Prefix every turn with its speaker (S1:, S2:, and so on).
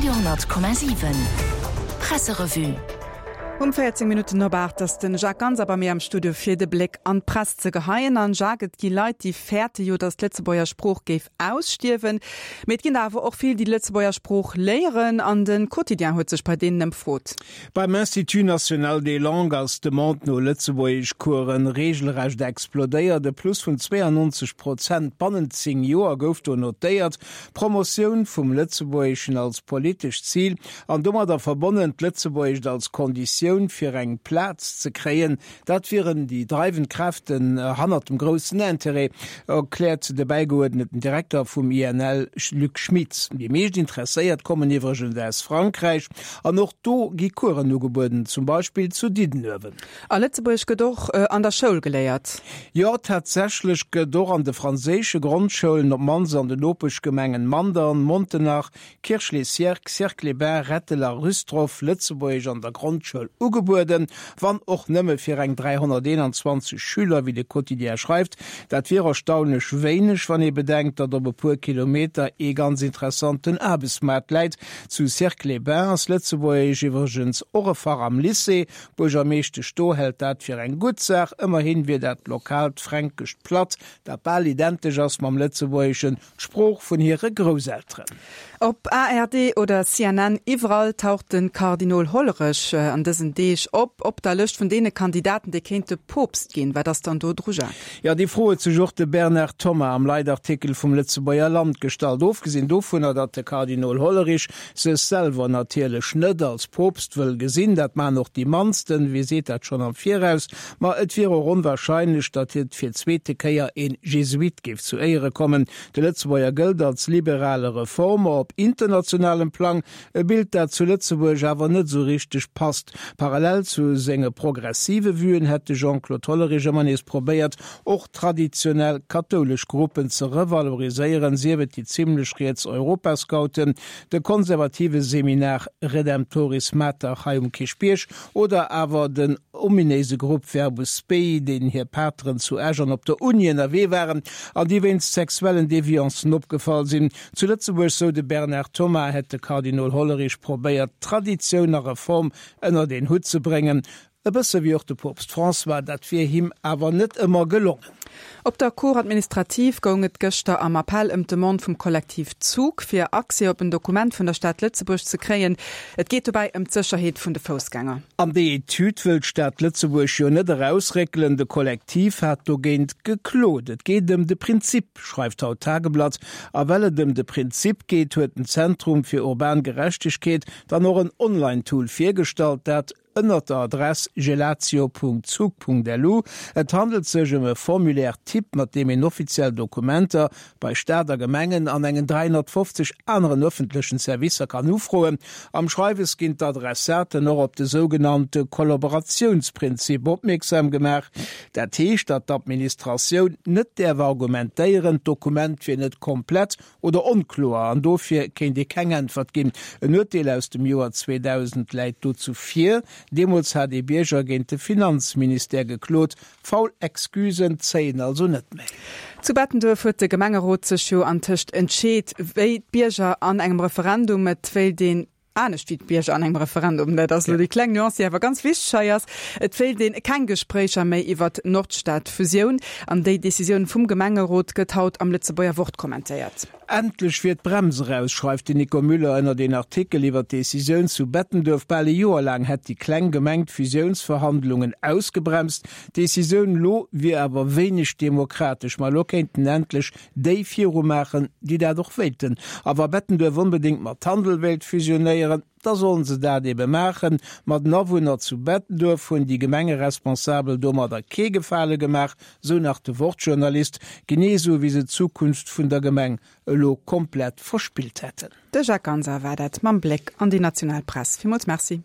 S1: Radio 10,7 Presserevue.
S2: Um 14 Minutten op 8 ass den Jacques Ganser bei mir am Studio fir de Bléck an d'Press ze geheien. An Jacques, et gi Leit, déi fäerte jo, datt d'Lëtzebuerger Sprooch géif ausstierwen. Mee et ginn der awer och vill, déi d'Lëtzebuerger Sprooch léieren. An de Quotidien huet sech bei deenen ëmfrot.
S3: Beim Institut national des langues ass d'Demande no Lëtzebuergeschcoursen reegelrecht explodéiert. E Plus vun 92 Prozent bannent 10 Joer gouf do notéiert. D'Promotioun vum Lëtzebuergeschen als politescht Zil an domadder verbonnen d'Lëtzebuergescht als Konditioun fir eng Plaz ze kréien, Dat wieren déi dreiwend Kräften hannert dem groussen Interêt, erkläert de bäigeuerdneten Direkter vum INL Luc Schmitz. Déi meescht Interesséiert kommen iwwregens aus Frankräich an och do gi Coursen ugebueden, zum Beispill zu Diddenuewen.
S2: A Lëtzebuergesch gëtt och an der Schoul geléiert?
S3: Jo, tatsächlech gëtt och an de franséische Grondschoulen, op d'mannst an den Nopeschgemengen Mandern, Montenach, Kirch-les-Sierck, Sierck-les-Bains, Rettel a Rüstroff Lëtzebuergesch an der Grondschoul ugebueden, wann och nëmme fir eng 321 Schüler, wéi de Quotidien schreift. Dat wier erstaunlech wéineg, wann ee bedenkt, datt op e puer Kilometer ee ganz interessanten Aarbechtsmaart läit. Zu Sierck-les-Bains ass Lëtzebuergesch iwwregens och e Fach am Lycée. D'Buergermeeschtesch do hält dat fir eng gutt Saach, ëmmerhin wier dat lokaalt fränkescht Platt, dat bal identesch ass mam Lëtzebuergeschen, D'Sprooch vun hire Grousselteren.
S2: Op ARD oder CNN, iwwerall taucht de Kardinol Hollerech an dësen Deeg op, op der Lëscht vun deene Kandidaten, déi kéinte Poopst ginn. Wat ass dann do dru, Jacques?
S3: Jo, déi Fro huet sech och de Bernard Thomas am Leitartikel vum Lëtzebuerger Land gestallt. Ofgesinn dovunner, datt de Kardinol Hollerich sech selwer natierlech net als Poopst wëll gesinn, dat maachen och déi mannsten, wie seet dat schonn am Viraus, Ma et wier och onwahrscheinlech, datt hie fir d'zweete Kéier een Jesuit géif zu Éiere kommen. De Lëtzebuerger gëllt als liberale Reformer op internationalem Plang, e Bild dat zu Lëtzebuerg awer net esou richteg passt. Parallel zu senge progressive Vuen hätt de Jean-Claude Hollerich ëmmer nees probéiert, och traditionell kathoulesch Gruppen ze revaloriséieren, sief et déi zimmlech riets Europascouten, de konservative Seminar Redemptoris Mater hei um Kierchbierg oder awer den ominéise Grupp Verbus Spei, deenen hir Pateren zu Esch an op der Uni ënnerwee waren an déi wéinst sexuellen Deviancen opgefall sinn. Zu Lëtzebuerg, sou de Bernard Thomas, hätt de Kardinol Hollerich probéiert, Traditioun a Reform ënnert een Hutt ze bréngen. E bësse wéi och de Poopst François, dat wier him awer net ëmmer gelongen.
S2: Op der Cour administrative goung et gëschter am Appell ëm d'Demande vum Kollektiv Zug, fir Accès op en Dokument vun der Stad Lëtzebuerg ze kréien. Et geet dobäi ëm d'Sécherheet vun de Foussgänger.
S3: An déi Etüd wëll d'Stad Lëtzebuerg jo net erausréckelen. De Kollektiv hat dogéint geklot. Et geet ëm de Prinzip, schreift haut d'Tageblatt. A well et ëm de Prinzip geet, huet den Zentrum fir urban Gerechtegkeet dann och en Online-Tool virgestallt, dat ënnert der Adress gelatio.zug.lu. Et handelt sech ëm e Formulaire type, mat deem een offiziell Dokumenter bei Staat a Gemengen an engen 350 aneren ëffentlechen Servicer kann ufroen. Am Schreiwes ginn d'Adressaten och op de sougenannte Kollaboratiounsprinzip opmierksam gemaach. Dat heescht, datt d'Administratioun net däerf argumentéieren, d'Dokument wier net komplett Oder onkloer an dofir kéint ee keng Äntwert ginn. En Urteel aus dem Joer 2000 läit dozou vir. Deemools hat ee Bierger géint de Finanzministère geklot. Faul Excusen zéien also net méi.
S2: Zu Bettenduerf huet de Gemengerot sech jo antëscht entscheet, wéi d'Bierger an engem Referendum. Et wéilt een Anescht wéi d'Bierger an engem Referendum, dat ass elo déi kleng Nuance, déi awer ganz wichteg hei ass, et wéilt een keng Gespréicher méi iwwert d'Nordstad-Fusioun. An déi Decisioun vum Gemengerot gëtt haut am Lëtzebuerger Wort kommentéiert.
S3: Endlech wier d'Brems eraus, schreift den Nico Müller ënnert een Artikel iwwer d'Decisioun zu Bettenduerf. Bal e Joer laang hätt déi kleng Gemeng d'Fusiounsverhandlungen ausgebremst. D'Decisioun elo wier awer wéineg demokratesch. Ma elo kéinten endlech déi viru maachen, déi dat och wéilten. A wa Bettenduerf onbedéngt mat Tandel wéilt fusionéieren, da sollen se dat ebe maachen. Ma den Awunner zu Bettenduerf hunn déi Gemengeresponsabel domadder kee Gefale gemaach, sou nach de Wort-Journalist, genee sou wéi se d'Zukunft vun der Gemeng elo komplett verspillt hätten.
S2: De Jacques Ganser war dat mam Bléck an déi national Press. Villmools Merci.